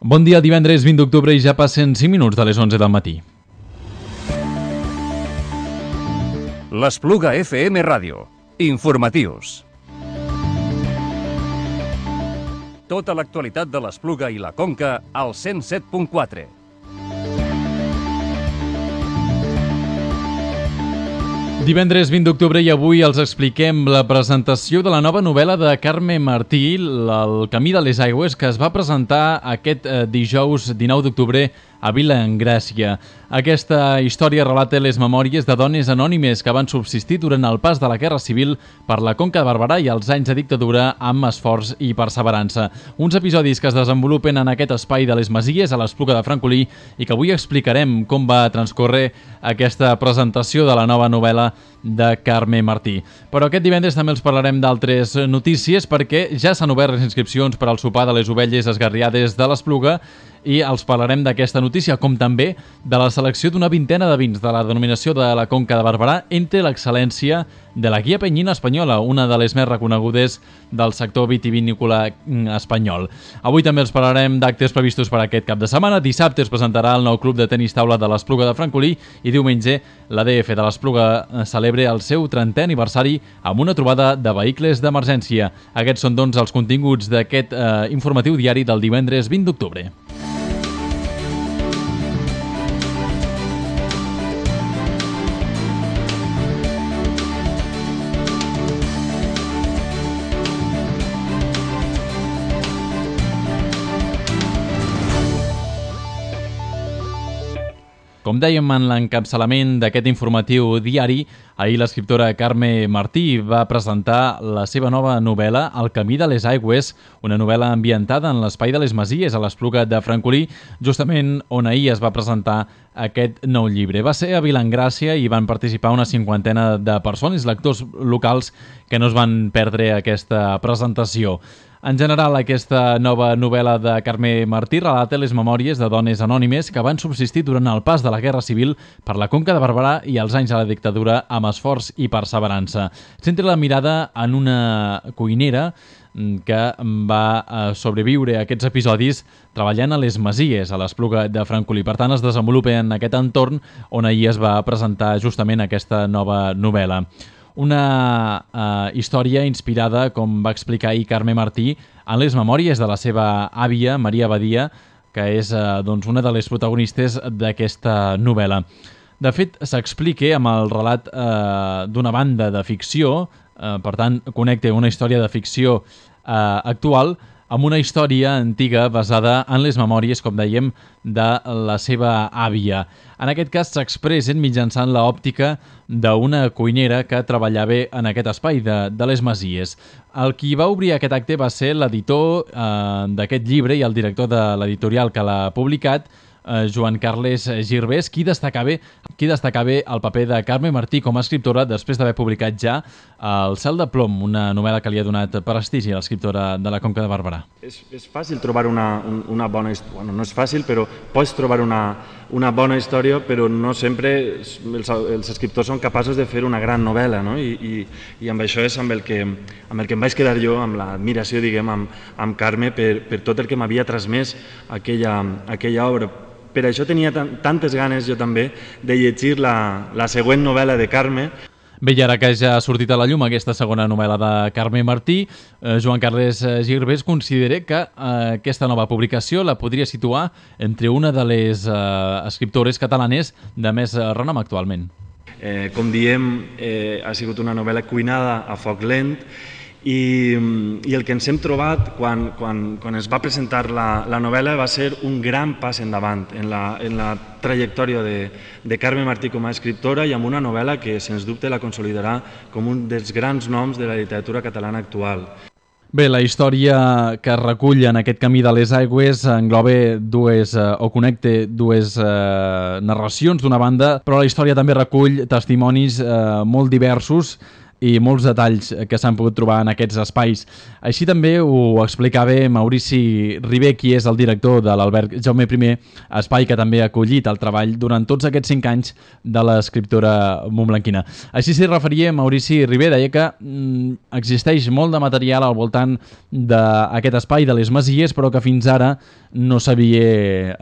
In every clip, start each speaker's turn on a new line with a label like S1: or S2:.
S1: Bon dia, divendres 20 d'octubre i ja passen 5 minuts de les 11 del matí.
S2: L'Espluga FM Ràdio. Informatius. Tota l'actualitat de l'Espluga i la Conca al 107.4.
S1: Divendres 20 d'octubre i avui els expliquem la presentació de la nova novel·la de Carme Martí, El camí de les aigües, que es va presentar aquest dijous 19 d'octubre a Vilaengràcia. Aquesta història relata les memòries de dones anònimes que van subsistir durant el pas de la Guerra Civil per la Conca de Barberà i els anys de dictadura amb esforç i perseverança. Uns episodis que es desenvolupen en aquest espai de les Masies a l'Espluga de Francolí i que avui explicarem com va transcórrer aquesta presentació de la nova novel·la de Carme Martí. Però aquest divendres també els parlarem d'altres notícies perquè ja s'han obert les inscripcions per al sopar de les ovelles esgarriades de l'Espluga i els parlarem d'aquesta notícia, com també de la selecció d'una vintena de vins de la denominació de la Conca de Barberà entre l'excel·lència de la Guia Penyina Espanyola, una de les més reconegudes del sector vitivinícola espanyol. Avui també els parlarem d'actes previstos per aquest cap de setmana. Dissabte es presentarà el nou club de tenis taula de l'Espluga de Francolí i diumenge l'ADF de l'Espluga celebra el seu 30è aniversari amb una trobada de vehicles d'emergència. Aquests són, doncs, els continguts d'aquest informatiu diari del divendres 20 d'octubre. Com dèiem en l'encapçalament d'aquest informatiu diari, ahir l'escriptora Carme Martí va presentar la seva nova novel·la El camí de les aigües, una novel·la ambientada en l'espai de les Masies a l'Espluga de Francolí, justament on ahir es va presentar aquest nou llibre. Va ser a Vilaengràcia i van participar una 50ena de persones, lectors locals, que no es van perdre aquesta presentació. En general, aquesta nova novel·la de Carme Martí relata les memòries de dones anònimes que van subsistir durant el pas de la Guerra Civil per la Conca de Barberà i els anys de la dictadura amb esforç i perseverança. Centra la mirada en una cuinera que va sobreviure a aquests episodis treballant a les Masies, a l'Espluga de Francolí. Per tant, es desenvolupa en aquest entorn on ahir es va presentar justament aquesta nova novel·la. Una història inspirada, com va explicar ahir Carme Martí, en les memòries de la seva àvia, Maria Badia, que és una de les protagonistes d'aquesta novel·la. De fet, s'explica amb el relat d'una banda de ficció, per tant, connecta una història de ficció actual amb una història antiga basada en les memòries, com dèiem, de la seva àvia. En aquest cas s'expressen mitjançant l'òptica d'una cuinera que treballava en aquest espai de les Masies. El qui va obrir aquest acte va ser l'editor d'aquest llibre i el director de l'editorial que l'ha publicat, Joan Carles Girbés, qui destacava el paper de Carme Martí com a escriptora després d'haver publicat ja El cel de plom, una novel·la que li ha donat prestigi a l'escriptora de la Conca de Barberà.
S3: És fàcil trobar una bona història, no és fàcil, però pots trobar una bona història, però no sempre els escriptors són capaços de fer una gran novel·la, no? I amb això és amb el que em vaig quedar jo, amb l'admiració, diguem, amb Carme per tot el que m'havia transmès aquella obra. Per això tenia tantes ganes jo també de llegir la següent novel·la de Carme.
S1: Bé, i ara que ja ha sortit a la llum aquesta segona novel·la de Carme Martí, Joan Carles Girbés considera que aquesta nova publicació la podria situar entre una de les escriptores catalanes de més renom actualment.
S3: Com diem, ha sigut una novel·la cuinada a foc lent i el que ens hem trobat quan es va presentar la novel·la va ser un gran pas endavant en la trajectòria de Carme Martí com a escriptora i amb una novel·la que, sens dubte, la consolidarà com un dels grans noms de la literatura catalana actual.
S1: Bé, la història que recull en aquest camí de les aigües engloba connecta dues narracions d'una banda, però la història també recull testimonis molt diversos i molts detalls que s'han pogut trobar en aquests espais. Així també ho explicava Maurici Ribé, qui és el director de l'Alberg Jaume I, espai que també ha acollit el treball durant tots aquests 5 anys de l'escriptora montblanquina. Així s'hi referia Maurici Ribé, deia que existeix molt de material al voltant d'aquest espai de les Masies, però que fins ara no s'havia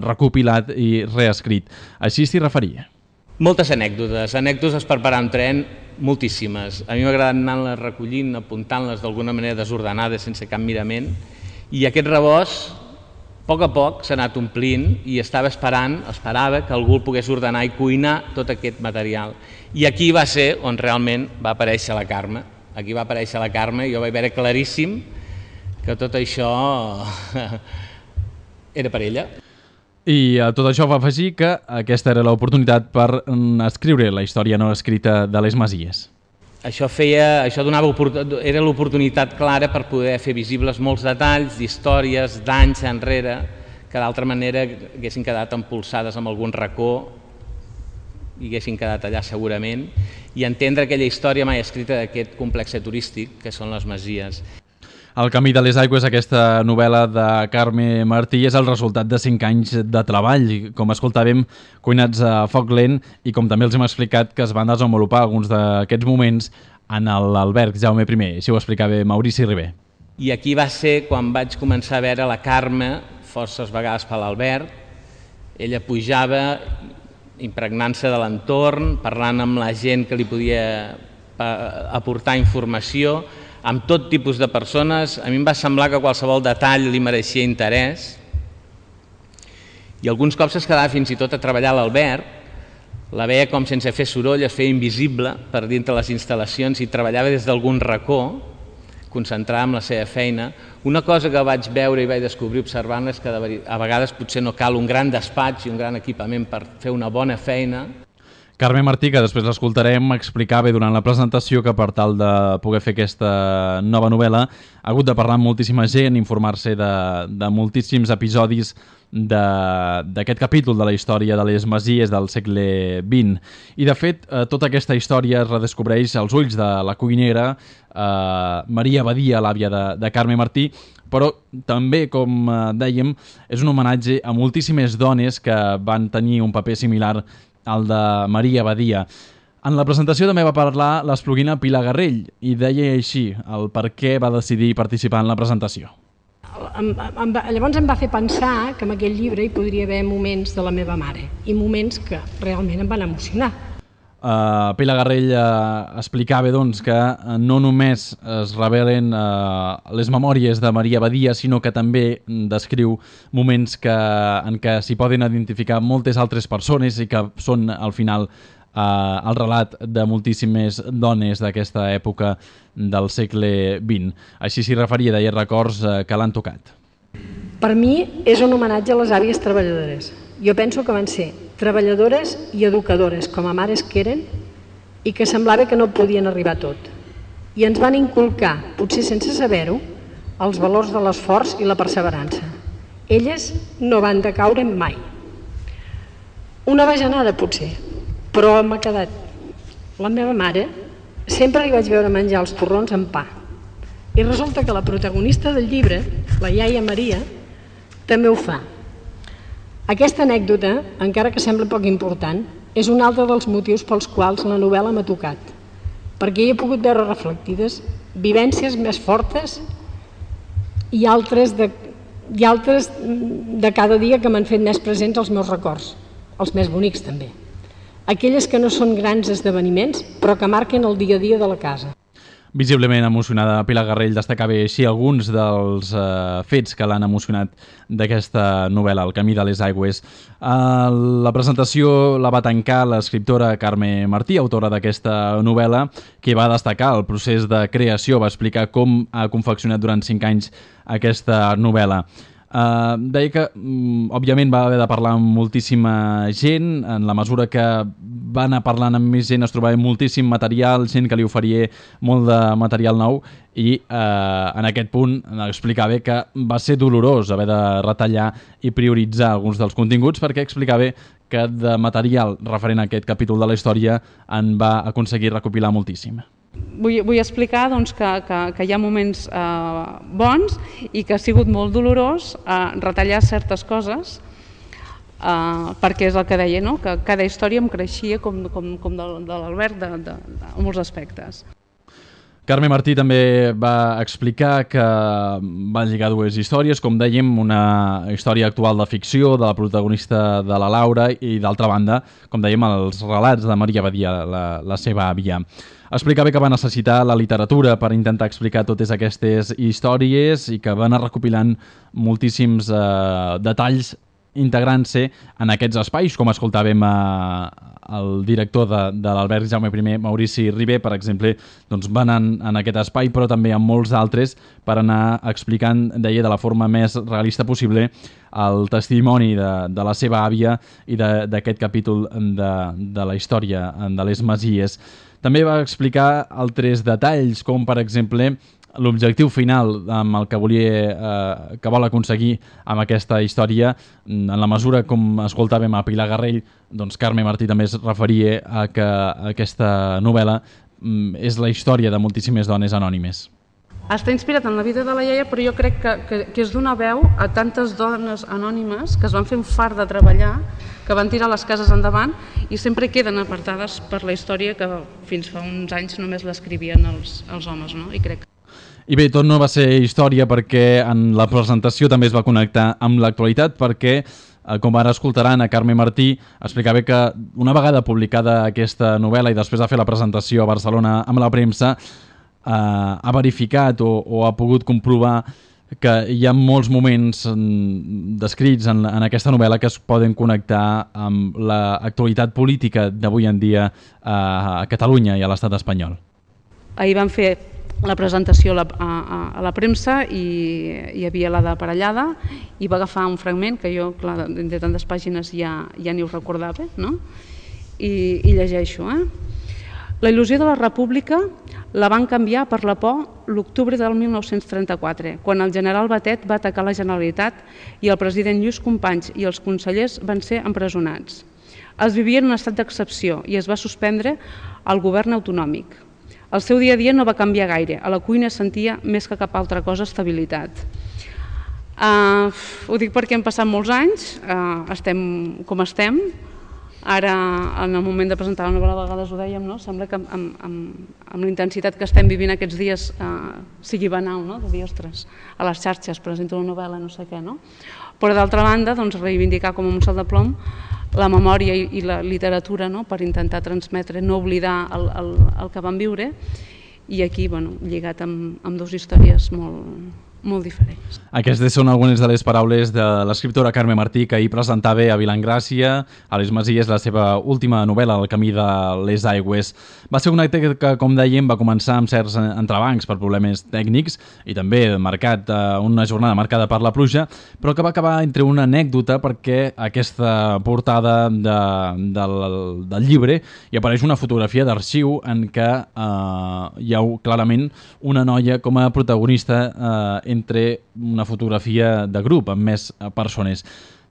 S1: recopilat i reescrit. Així s'hi referia.
S4: Moltes anècdotes per parar en tren, moltíssimes. A mi m'ha agradat anar-les recollint, apuntant-les d'alguna manera desordenades, sense cap mirament, i aquest rebost, a poc s'ha anat omplint i esperava que algú el pogués ordenar i cuinar tot aquest material. I aquí va ser on realment va aparèixer la Carme. Aquí va aparèixer la Carme i jo vaig veure claríssim que tot això era per ella.
S1: I a tot això va afegir que aquesta era l'oportunitat per escriure la història no escrita de les Masies.
S4: Això era l'oportunitat clara per poder fer visibles molts detalls d'històries d'anys enrere que d'altra manera haguessin quedat empolsades en algun racó i haguessin quedat allà segurament, i entendre aquella història mai escrita d'aquest complex turístic que són les Masies.
S1: El camí de les aigües, aquesta novel·la de Carme Martí, és el resultat de 5 anys de treball, com escoltàvem, cuinats a foc lent, i com també els hem explicat que es van desenvolupar alguns d'aquests moments en l'Alberg Jaume I. Així ho explicava Maurici Ribé.
S4: I aquí va ser quan vaig començar a veure la Carme forces vegades per l'Alberg. Ella pujava impregnant-se de l'entorn, parlant amb la gent que li podia aportar informació, amb tot tipus de persones. A mi em va semblar que qualsevol detall li mereixia interès i alguns cops es quedava fins i tot a treballar a l'Alberg, la veia com sense fer soroll es feia invisible per dintre les instal·lacions i treballava des d'algun racó, concentrada en la seva feina. Una cosa que vaig veure i vaig descobrir observant-la és que a vegades potser no cal un gran despatx i un gran equipament per fer una bona feina.
S1: Carme Martí, que després l'escoltarem, explicava durant la presentació que per tal de poder fer aquesta nova novel·la ha hagut de parlar amb moltíssima gent, informar-se de moltíssims episodis d'aquest capítol de la història de les Masies del segle XX. I, de fet, tota aquesta història es redescobreix als ulls de la cuinera Maria Badia, l'àvia de Carme Martí, però també, com dèiem, és un homenatge a moltíssimes dones que van tenir un paper similar al de Maria Badia. En la presentació també va parlar l'espluguina Pilar Garrell i deia així el per què va decidir participar en la presentació.
S5: Llavors em va fer pensar que en aquell llibre hi podria haver moments de la meva mare i moments que realment em van emocionar.
S1: Pilar Garrell explicava doncs, que no només es revelen les memòries de Maria Badia, sinó que també descriu moments en què s'hi poden identificar moltes altres persones i que són al final el relat de moltíssimes dones d'aquesta època del segle XX. Així s'hi referia, deia, records que l'han tocat.
S5: Per mi és un homenatge a les àvies treballadores. Jo penso que van ser treballadores i educadores, com a mares que eren, i que semblava que no podien arribar a tot. I ens van inculcar, potser sense saber-ho, els valors de l'esforç i la perseverança. Elles no van decaure mai. Una bajanada, potser, però m'ha quedat. La meva mare sempre li vaig veure menjar els torrons amb pa. I resulta que la protagonista del llibre, la iaia Maria, també ho fa. Aquesta anècdota, encara que sembla poc important, és un altre dels motius pels quals la novel·la m'ha tocat, perquè hi he pogut veure reflectides vivències més fortes i altres de cada dia que m'han fet més presents els meus records, els més bonics també. Aquelles que no són grans esdeveniments, però que marquen el dia a dia de la casa.
S1: Visiblement emocionada, Pilar Garrell destacava així alguns dels fets que l'han emocionat d'aquesta novel·la, El camí de les aigües. La presentació la va tancar l'escriptora Carme Martí, autora d'aquesta novel·la, que va destacar el procés de creació, va explicar com ha confeccionat durant 5 anys aquesta novel·la. Deia que, òbviament, va haver de parlar amb moltíssima gent. En la mesura que va anar parlant amb més gent es trobava moltíssim material, gent que li oferia molt de material nou i en aquest punt explicava que va ser dolorós haver de retallar i prioritzar alguns dels continguts, perquè explicava que de material referent a aquest capítol de la història en va aconseguir recopilar moltíssim.
S6: Vull explicar doncs, que hi ha moments bons i que ha sigut molt dolorós retallar certes coses, perquè és el que deia, no? Que cada història em creixia com de l'Albert en molts aspectes.
S1: Carme Martí també va explicar que van lligar dues històries, com dèiem, una història actual de ficció de la protagonista de la Laura i, d'altra banda, com dèiem, els relats de Maria Badia, la seva àvia. Explicava que va necessitar la literatura per intentar explicar totes aquestes històries i que va anar recopilant moltíssims detalls integrant-se en aquests espais, com escoltàvem el director de l'Albert Jaume I, Maurici Ribé, per exemple, doncs va anar en aquest espai, però també en molts altres, per anar explicant, deia, de la forma més realista possible el testimoni de la seva àvia i d'aquest capítol de la història de les Masies. També va explicar altres detalls, com per exemple l'objectiu final amb el que vol aconseguir amb aquesta història. En la mesura, com escoltàvem a Pilar Garrell, doncs Carme Martí també es referia a que aquesta novel·la és la història de moltíssimes dones anònimes.
S6: Està inspirat en la vida de la iaia, però jo crec que és donar veu a tantes dones anònimes que es van fer un fart de treballar, que van tirar les cases endavant i sempre queden apartades per la història que fins fa uns anys només l'escrivien els homes, no? I
S1: bé, tot no va ser història, perquè en la presentació també es va connectar amb l'actualitat, perquè, com ara escoltaran, a Carme Martí explicava que una vegada publicada aquesta novel·la i després de fer la presentació a Barcelona amb la premsa, ha verificat o ha pogut comprovar que hi ha molts moments descrits en aquesta novel·la que es poden connectar amb l'actualitat política d'avui en dia a Catalunya i a l'estat espanyol. Ahir
S6: van fer la presentació a la premsa i hi havia la de Parellada i va agafar un fragment que jo, clar, de tantes pàgines ja ni ho recordava, no? I llegeixo. La il·lusió de la República la van canviar per la por l'octubre del 1934, quan el general Batet va atacar la Generalitat i el president Lluís Companys i els consellers van ser empresonats. Es vivia en un estat d'excepció i es va suspendre el govern autonòmic. El seu dia a dia no va canviar gaire, a la cuina sentia més que cap altra cosa estabilitat. Ho dic perquè han passat molts anys, estem com estem. Ara, en el moment de presentar la novel·la, a vegades ho dèiem, no? Sembla que amb la intensitat que estem vivint aquests dies sigui banal, no? De dir, ostres, a les xarxes presento una novel·la, no sé què, no? Però d'altra banda, doncs, reivindicar com un salt de plom la memòria i la literatura, no? Per intentar transmetre, no oblidar el que vam viure, i aquí, lligat amb dues històries molt diferents.
S1: Aquestes són algunes de les paraules de l'escriptora Carme Martí, que ahir presentava a Vilagràcia, a les Masies, la seva última novel·la, El camí de les aigües. Va ser un acte que, com dèiem, va començar amb certs entrebancs per problemes tècnics i també una jornada marcada per la pluja, però que va acabar entre una anècdota, perquè aquesta portada del llibre hi apareix una fotografia d'arxiu en què hi ha clarament una noia com a protagonista entre una fotografia de grup amb més persones.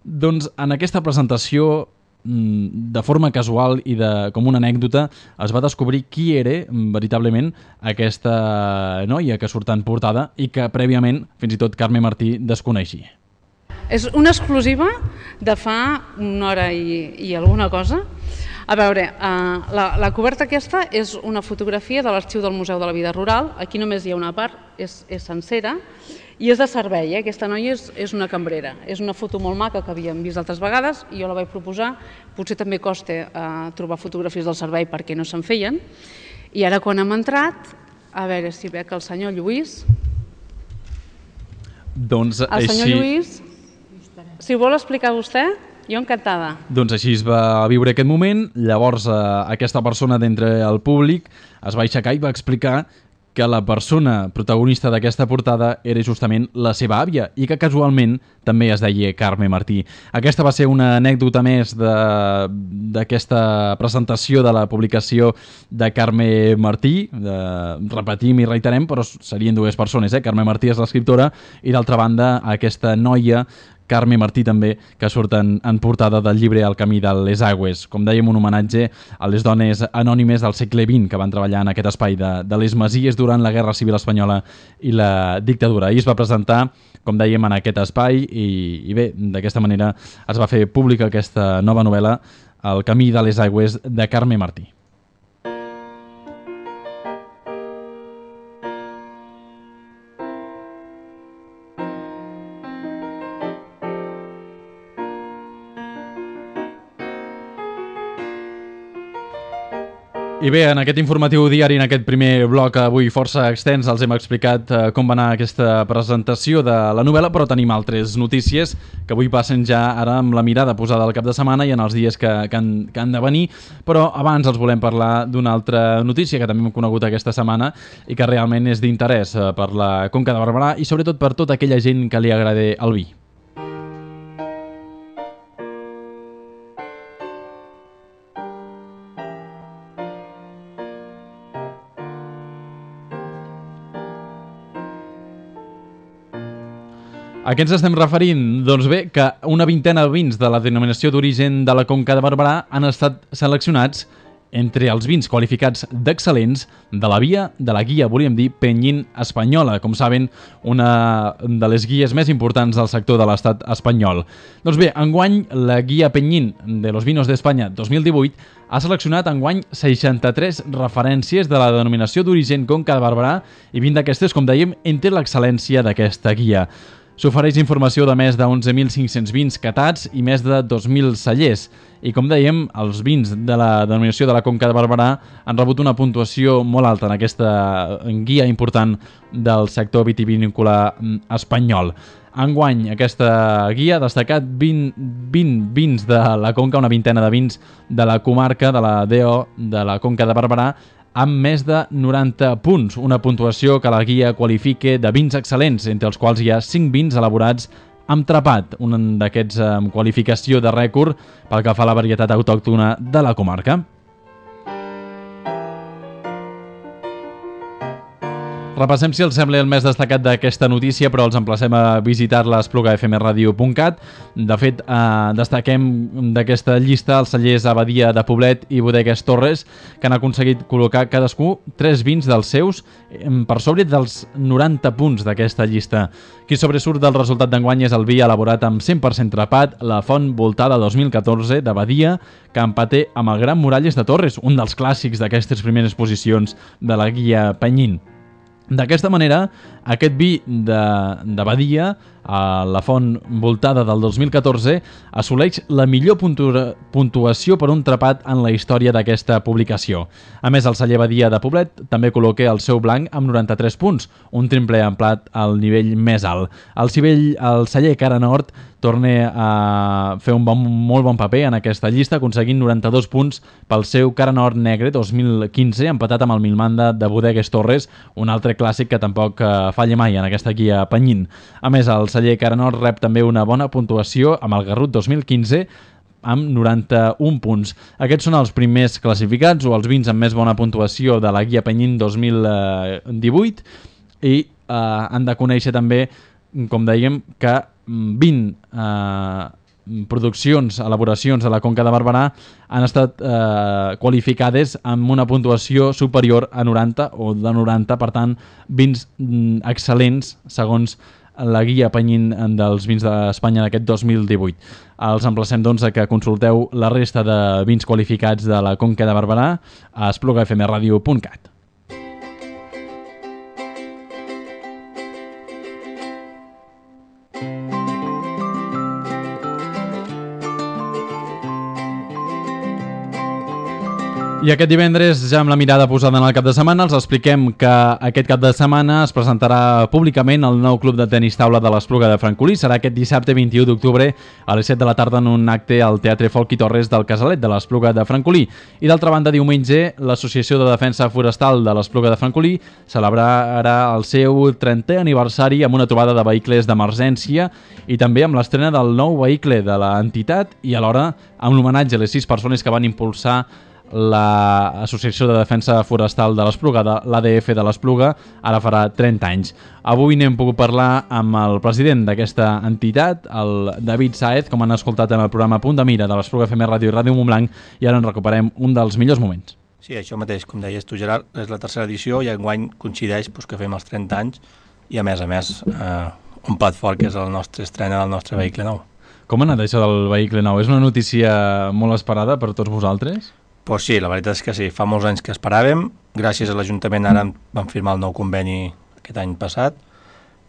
S1: Doncs en aquesta presentació, de forma casual i com una anècdota, es va descobrir qui era veritablement aquesta noia que surt en portada i que prèviament fins i tot Carme Martí desconeixia.
S6: És una exclusiva de fa una hora i alguna cosa. A veure, la coberta aquesta és una fotografia de l'arxiu del Museu de la Vida Rural. Aquí només hi ha una part, és sencera, i és de servei. Aquesta noia és una cambrera. És una foto molt maca que havíem vist altres vegades i jo la vaig proposar. Potser també costa trobar fotografies del servei perquè no se'n feien. I ara quan hem entrat, a veure si veig el senyor Lluís.
S1: Doncs
S6: el senyor Lluís, si ho vol explicar vostè, jo encantada.
S1: Doncs així es va viure aquest moment. Llavors aquesta persona d'entre el públic es va aixecar i va explicar que la persona protagonista d'aquesta portada era justament la seva àvia i que casualment també es deia Carme Martí. Aquesta va ser una anècdota més d'aquesta presentació de la publicació de Carme Martí. Repetim i reiterem, però serien dues persones. Carme Martí és l'escriptora i d'altra banda aquesta noia Carme Martí també, que surten en portada del llibre El camí de les aigües. Com dèiem, un homenatge a les dones anònimes del segle XX que van treballar en aquest espai de les Masies durant la Guerra Civil Espanyola i la dictadura. Ahir es va presentar, com dèiem, en aquest espai i bé, d'aquesta manera es va fer pública aquesta nova novel·la, El camí de les aigües, de Carme Martí. I bé, en aquest informatiu diari, en aquest primer bloc avui força extens, els hem explicat com va anar aquesta presentació de la novel·la, però tenim altres notícies que avui passen ja ara amb la mirada posada al cap de setmana i en els dies que han de venir, però abans els volem parlar d'una altra notícia que també hem conegut aquesta setmana i que realment és d'interès per la Conca de Barberà i sobretot per tota aquella gent que li agrada el vi. A què ens estem referint? Doncs bé, que una vintena de vins de la denominació d'origen de la Conca de Barberà han estat seleccionats entre els vins qualificats d'excel·lents de la guia, volíem dir, Penyín espanyola, com saben, una de les guies més importants del sector de l'estat espanyol. Doncs bé, enguany, la guia Penyín de los Vinos d'Espanya 2018 ha seleccionat enguany 63 referències de la denominació d'origen Conca de Barberà i 20 d'aquestes, com dèiem, entre l'excel·lència d'aquesta guia. S'ofereix informació de més de 11.500 vins catats i més de 2.000 cellers. I com dèiem, els vins de la denominació de la Conca de Barberà han rebut una puntuació molt alta en aquesta guia important del sector vitivinícola espanyol. Enguany, aquesta guia ha destacat 20 vins de la Conca, una vintena de vins de la comarca de la DO de la Conca de Barberà, amb més de 90 punts, una puntuació que la guia qualifica de vins excel·lents, entre els quals hi ha 5 vins elaborats amb trapat, un d'aquests amb qualificació de rècord pel que fa a la varietat autòctona de la comarca. Repassem, si els sembla, el més destacat d'aquesta notícia, però els emplacem a visitar-la a esplugafmradio.cat. De fet, destaquem d'aquesta llista els cellers Abadia de Poblet i Bodegues Torres, que han aconseguit col·locar cadascú 3 vins dels seus per sobre dels 90 punts d'aquesta llista. Qui sobresurt del resultat d'enguany és el vi elaborat amb 100% trapat, la Font Voltada 2014 d'Abadia, que empaté amb el Gran Muralles de Torres, un dels clàssics d'aquestes primeres posicions de la guia Penyín. D'aquesta manera, aquest vi d'Abadia, a la Font Voltada del 2014, assoleix la millor puntuació per un trapat en la història d'aquesta publicació. A més, el celler Abadia de Poblet també col·loca el seu blanc amb 93 punts, un triple emplat al nivell més alt. El celler Cara Nord torna a fer un molt bon paper en aquesta llista, aconseguint 92 punts pel seu Cara Nord Negre 2015, empatat amb el Milmanda de Bodegues Torres, un altre clàssic que tampoc falla mai en aquesta guia Penyín. A més, el celler Cara Nord rep també una bona puntuació amb el Garrut 2015, amb 91 punts. Aquests són els primers classificats o els vins amb més bona puntuació de la guia Penyín 2018 i han de conèixer també, com dèiem, que 20 elaboracions de la Conca de Barberà han estat qualificades amb una puntuació superior a 90 o de 90, per tant, vins excel·lents segons la guia Penyín dels vins d'Espanya d'aquest 2018. Els emplacem, doncs, a que consulteu la resta de vins qualificats de la Conca de Barberà a esplugafmradio.cat. I aquest divendres, ja amb la mirada posada en el cap de setmana, els expliquem que aquest cap de setmana es presentarà públicament el nou club de tenis taula de l'Espluga de Francolí. Serà aquest dissabte 21 d'octubre a les 7 de la tarda en un acte al Teatre Folk i Torres del Casalet de l'Espluga de Francolí. I d'altra banda, diumenge, l'Associació de Defensa Forestal de l'Espluga de Francolí celebrarà el seu 30è aniversari amb una trobada de vehicles d'emergència i també amb l'estrena del nou vehicle de l'entitat i alhora amb l'homenatge a les 6 persones que van impulsar l'Associació de Defensa Forestal de l'Espluga, l'ADF de l'Espluga, ara farà 30 anys. Avui n'hem pogut parlar amb el president d'aquesta entitat, el David Sáez, com han escoltat en el programa Punt de Mira de l'Espluga FM Ràdio i Ràdio Montblanc, i ara en recuperem un dels millors moments.
S7: Sí, això mateix, com deies tu, Gerard, és la tercera edició i enguany coincideix que fem els 30 anys i a més un plat fort que és el nostre estrena del nostre vehicle nou.
S1: Com ha anat això del vehicle nou? És una notícia molt esperada per tots vosaltres?
S7: Pues sí, la veritat és que sí, fa molts anys que esperàvem, gràcies a l'Ajuntament ara vam firmar el nou conveni aquest any passat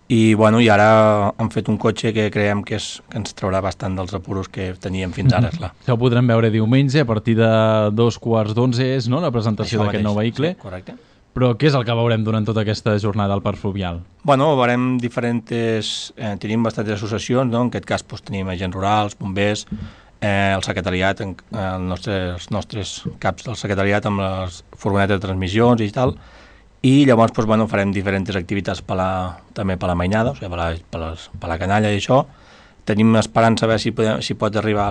S7: i ara han fet un cotxe que creiem que ens traurà bastant dels apuros que teníem fins ara, clar.
S1: Això ho podrem veure diumenge a partir de 2:15 és, no?, la presentació d'aquest nou vehicle.
S7: Sí, correcte.
S1: Però què és el que veurem durant tota aquesta jornada al Parc Fluvial?
S7: Veurem tenim bastantes associacions, no? En aquest cas tenim agents rurals, bombers, el secretariat, els nostres caps del secretariat amb les furgonetes de transmissions i tal, i llavors farem diferents activitats també per la mainada, o sigui, per la canalla i això. Tenim esperança a veure si pot arribar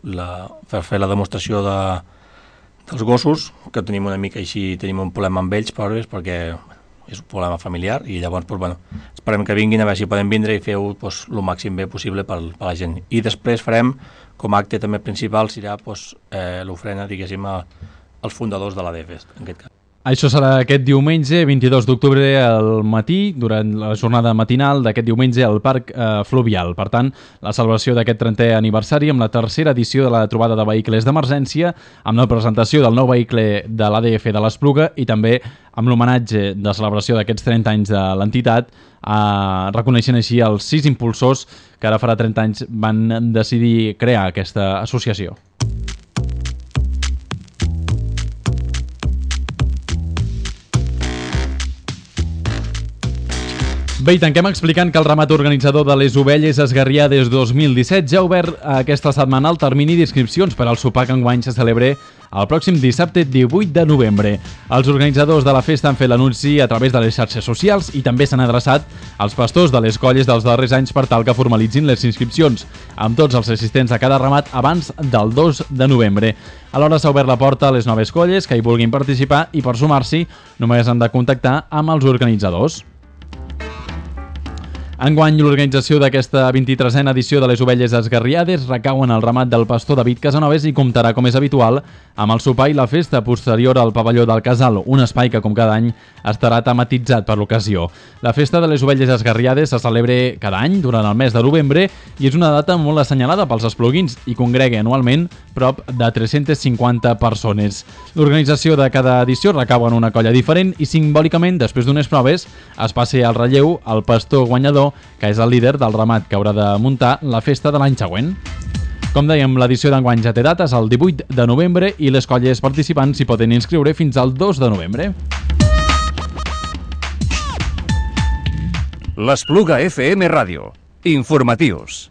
S7: per fer la demostració dels gossos, que tenim una mica així, tenim un problema amb ells, perquè és un problema familiar, i llavors esperem que vinguin a veure si poden vindre i fer-ho el màxim bé possible per la gent. I després farem, com a acte també principal, serà l'ofrena, diguéssim, als fundadors de l'ADF, en aquest cas.
S1: Això serà aquest diumenge, 22 d'octubre al matí, durant la jornada matinal d'aquest diumenge al Parc Fluvial. Per tant, la celebració d'aquest 30è aniversari amb la tercera edició de la trobada de vehicles d'emergència, amb la presentació del nou vehicle de l'ADF de l'Espluga i també amb l'homenatge de celebració d'aquests 30 anys de l'entitat, reconeixent així els 6 impulsors que ara farà 30 anys van decidir crear aquesta associació. Bé, i tanquem explicant que el ramat organitzador de les Ovelles Esgarriades 2017 ja ha obert aquesta setmana el termini d'inscripcions per al sopar que enguany se celebra el pròxim dissabte 18 de novembre. Els organitzadors de la festa han fet l'anunci a través de les xarxes socials i també s'han adreçat als pastors de les colles dels darrers anys per tal que formalitzin les inscripcions amb tots els assistents a cada ramat abans del 2 de novembre. Alhora s'ha obert la porta a les noves colles que hi vulguin participar i per sumar-s'hi només han de contactar amb els organitzadors. Enguany, l'organització d'aquesta 23a edició de les Ovelles Esgarriades recau en el ramat del pastor David Casanovas i comptarà, com és habitual, amb el sopar i la festa posterior al pavelló del Casal, un espai que, com cada any, estarà tematitzat per l'ocasió. La festa de les Ovelles Esgarriades se celebra cada any durant el mes de novembre i és una data molt assenyalada pels espluguins i congrega anualment prop de 350 persones. L'organització de cada edició recau en una colla diferent i simbòlicament, després d'unes proves, es passa al relleu el pastor guanyador, que és el líder del ramat que haurà de muntar la festa de l'any següent. Com dèiem, l'edició d'enguany ja té dates el 18 de novembre i les colles participants s'hi poden inscriure fins al 2 de novembre.
S2: L'Espluga FM Ràdio. Informatius.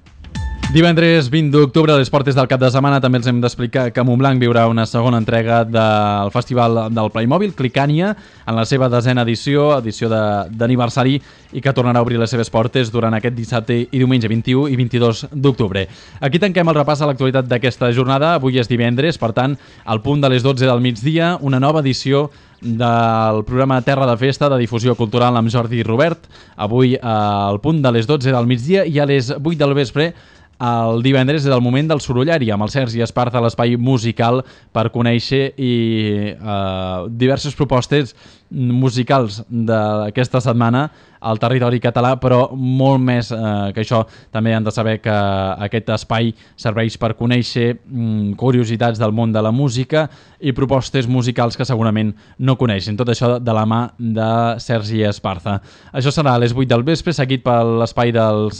S1: Divendres 20 d'octubre, a les portes del cap de setmana, també els hem d'explicar que Montblanc viurà una segona entrega del Festival del Playmobil, Clicània, en la seva 10a edició d'aniversari, i que tornarà a obrir les seves portes durant aquest dissabte i diumenge 21 i 22 d'octubre. Aquí tanquem el repàs a l'actualitat d'aquesta jornada. Avui és divendres, per tant, al punt de les 12 del migdia, una nova edició del programa Terra de Festa de difusió cultural amb Jordi Robert. Avui al punt de les 12 del migdia i a les 8 del vespre el divendres és el moment del Sorollari amb el Sergi Esparza a l'espai musical per conèixer diverses propostes musicals d'aquesta setmana al territori català, però molt més que això. També han de saber que aquest espai serveix per conèixer curiositats del món de la música i propostes musicals que segurament no coneixen. Tot això de la mà de Sergi Esparza. Això serà a les 8 del vespre, seguit per l'espai dels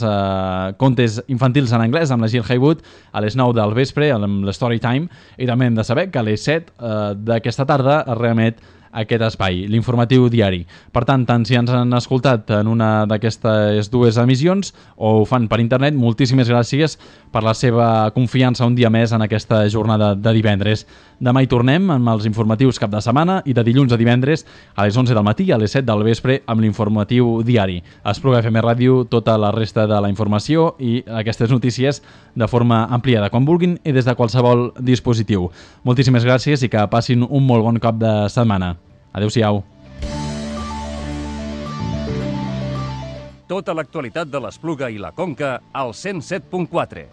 S1: contes infantils en anglès amb la Jill Haywood a les 9 del vespre amb l'Story Time, i també hem de saber que a les 7 d'aquesta tarda es reemet aquest espai, l'informatiu diari. Per tant, tant si ens han escoltat en una d'aquestes dues emissions o ho fan per internet, moltíssimes gràcies per la seva confiança un dia més en aquesta jornada de divendres. Demà hi tornem amb els informatius cap de setmana i de dilluns a divendres a les 11 del matí i a les 7 del vespre amb l'informatiu diari. A Espluga FM Ràdio, tota la resta de la informació i aquestes notícies de forma ampliada, quan vulguin i des de qualsevol dispositiu. Moltíssimes gràcies i que passin un molt bon cop de setmana. Adéu-siau.
S2: Tota l'actualitat de l'Espluga i la Conca al 107.4.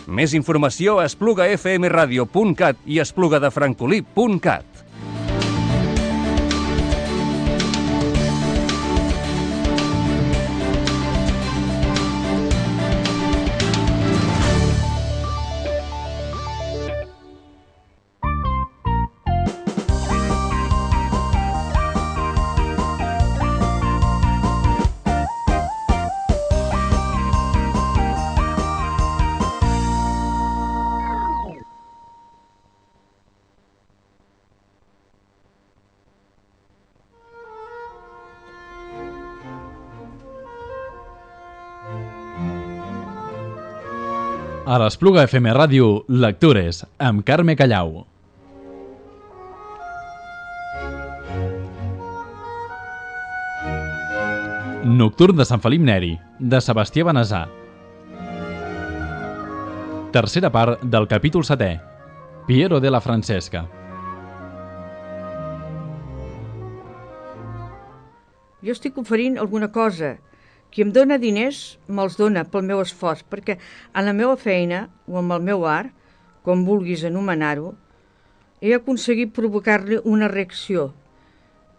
S2: Més informació a esplugafmradio.cat i esplugadefrancolí.cat.
S1: A l'Espluga FM Ràdio, Lectures, amb Carme Callau. Nocturn de Sant Felip Neri, de Sebastià Benessà. Tercera part del capítol 7è. Piero della Francesca.
S8: Jo estic oferint alguna cosa. Qui em dóna diners, me'ls dóna pel meu esforç, perquè en la meva feina o amb el meu art, com vulguis anomenar-ho, he aconseguit provocar-li una reacció.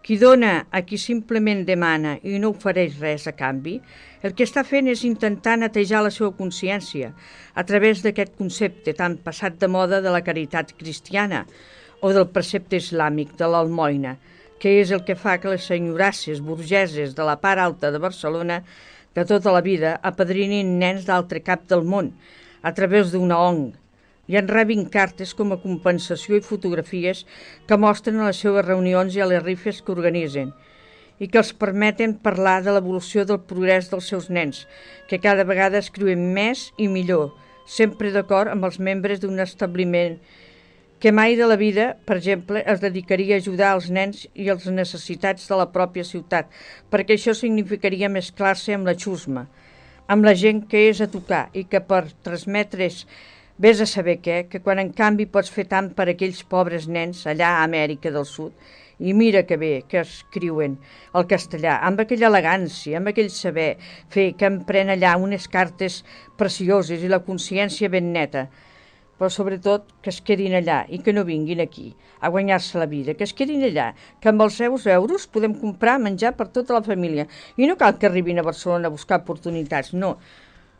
S8: Qui dóna a qui simplement demana i no ofereix res a canvi, el que està fent és intentar netejar la seva consciència a través d'aquest concepte tan passat de moda de la caritat cristiana o del precepte islàmic de l'almoina, que és el que fa que les senyorasses burgeses de la part alta de Barcelona de tota la vida apadrinin nens d'altre cap del món a través d'una ONG i en rebin cartes com a compensació i fotografies que mostren a les seves reunions i a les rifes que organitzen i que els permeten parlar de l'evolució del progrés dels seus nens, que cada vegada escriuen més i millor, sempre d'acord amb els membres d'un establiment que mai de la vida, per exemple, es dedicaria a ajudar els nens i les necessitats de la pròpia ciutat, perquè això significaria mesclar-se amb la xusma, amb la gent que és a tocar i que per transmetre's vés a saber què, que quan en canvi pots fer tant per aquells pobres nens allà a Amèrica del Sud, i mira que bé que escriuen el castellà, amb aquella elegància, amb aquell saber fer, que empren allà unes cartes precioses i la consciència ben neta, però sobretot que es quedin allà i que no vinguin aquí a guanyar-se la vida, que es quedin allà, que amb els seus euros podem comprar menjar per tota la família i no cal que arribin a Barcelona a buscar oportunitats, no.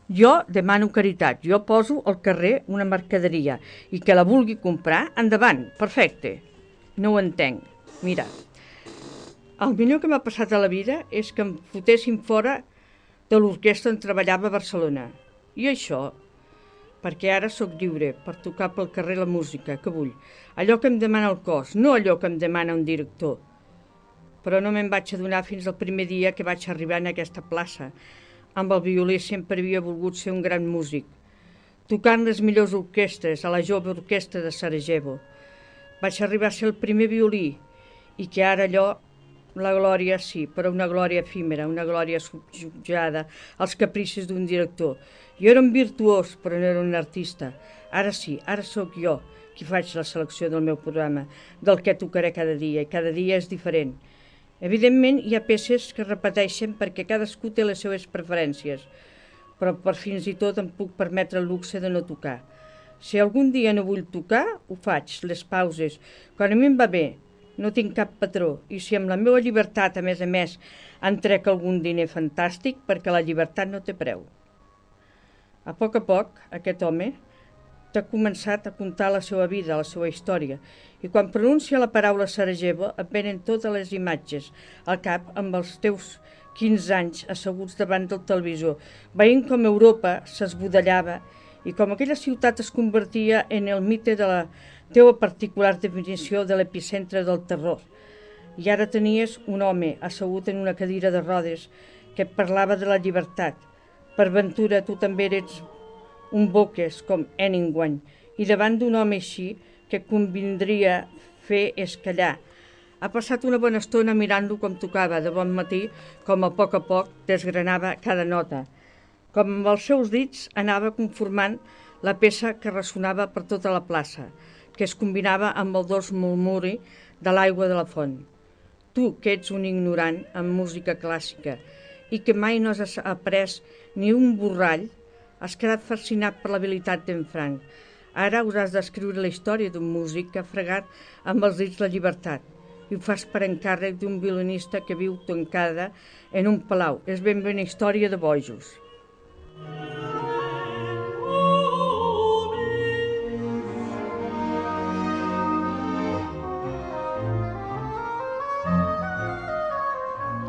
S8: Jo demano caritat, jo poso al carrer una mercaderia i que la vulgui comprar, endavant, perfecte. No ho entenc. Mira, el millor que m'ha passat a la vida és que em fotessin fora de l'orquestra on treballava a Barcelona. I això perquè ara sóc lliure per tocar pel carrer la música que vull, allò que em demana el cos, no allò que em demana un director. Però no me'n vaig adonar fins al primer dia que vaig arribar en aquesta plaça. Amb el violí sempre havia volgut ser un gran músic, tocant les millors orquestres a la jove orquestra de Sarajevo. Vaig arribar a ser el primer violí i que ara allò, la glòria sí, però una glòria efímera, una glòria subjugada als capricis d'un director. Jo era un virtuós, però no era un artista. Ara sí, ara sóc jo qui faig la selecció del meu programa, del que tocaré cada dia, i cada dia és diferent. Evidentment, hi ha peces que repeteixen perquè cadascú té les seves preferències, però per fins i tot em puc permetre el luxe de no tocar. Si algun dia no vull tocar, ho faig, les pauses. Quan a mi em va bé, no tinc cap patró, i si amb la meva llibertat, a més, en trec algun diner fantàstic, perquè la llibertat no té preu. A poc, aquest home t'ha començat a contar la seva vida, la seva història, i quan pronuncia la paraula Sarajevo et venen totes les imatges al cap amb els teus 15 anys asseguts davant del televisor, veient com Europa s'esbudellava i com aquella ciutat es convertia en el mite de té la particular definició de l'epicentre del terror. I ara tenies un home assegut en una cadira de rodes que parlava de la llibertat. Per ventura tu també eres un boques com Hemingway, i davant d'un home així que convindria fer és callar. Ha passat una bona estona mirant-lo com tocava de bon matí, com a poc desgranava cada nota. Com amb els seus dits anava conformant la peça que ressonava per tota la plaça, que es combinava amb el dolç murmuri de l'aigua de la font. Tu, que ets un ignorant en música clàssica i que mai no has après ni un borrall, has quedat fascinat per l'habilitat d'en Frank. Ara hauràs d'escriure la història d'un músic que ha fregat amb els dits la llibertat i ho fas per encàrrec d'un violinista que viu tancada en un palau. És ben bé una història de bojos.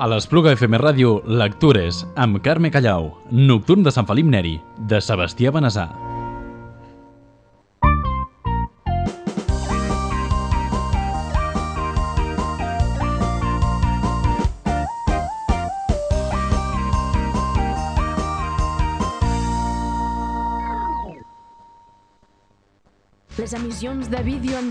S1: A l'Espluga FM Ràdio, Lectures, amb Carme Callau, Nocturn de Sant Felip Neri, de Sebastià Benessà.
S9: Les emissions de vídeo en directe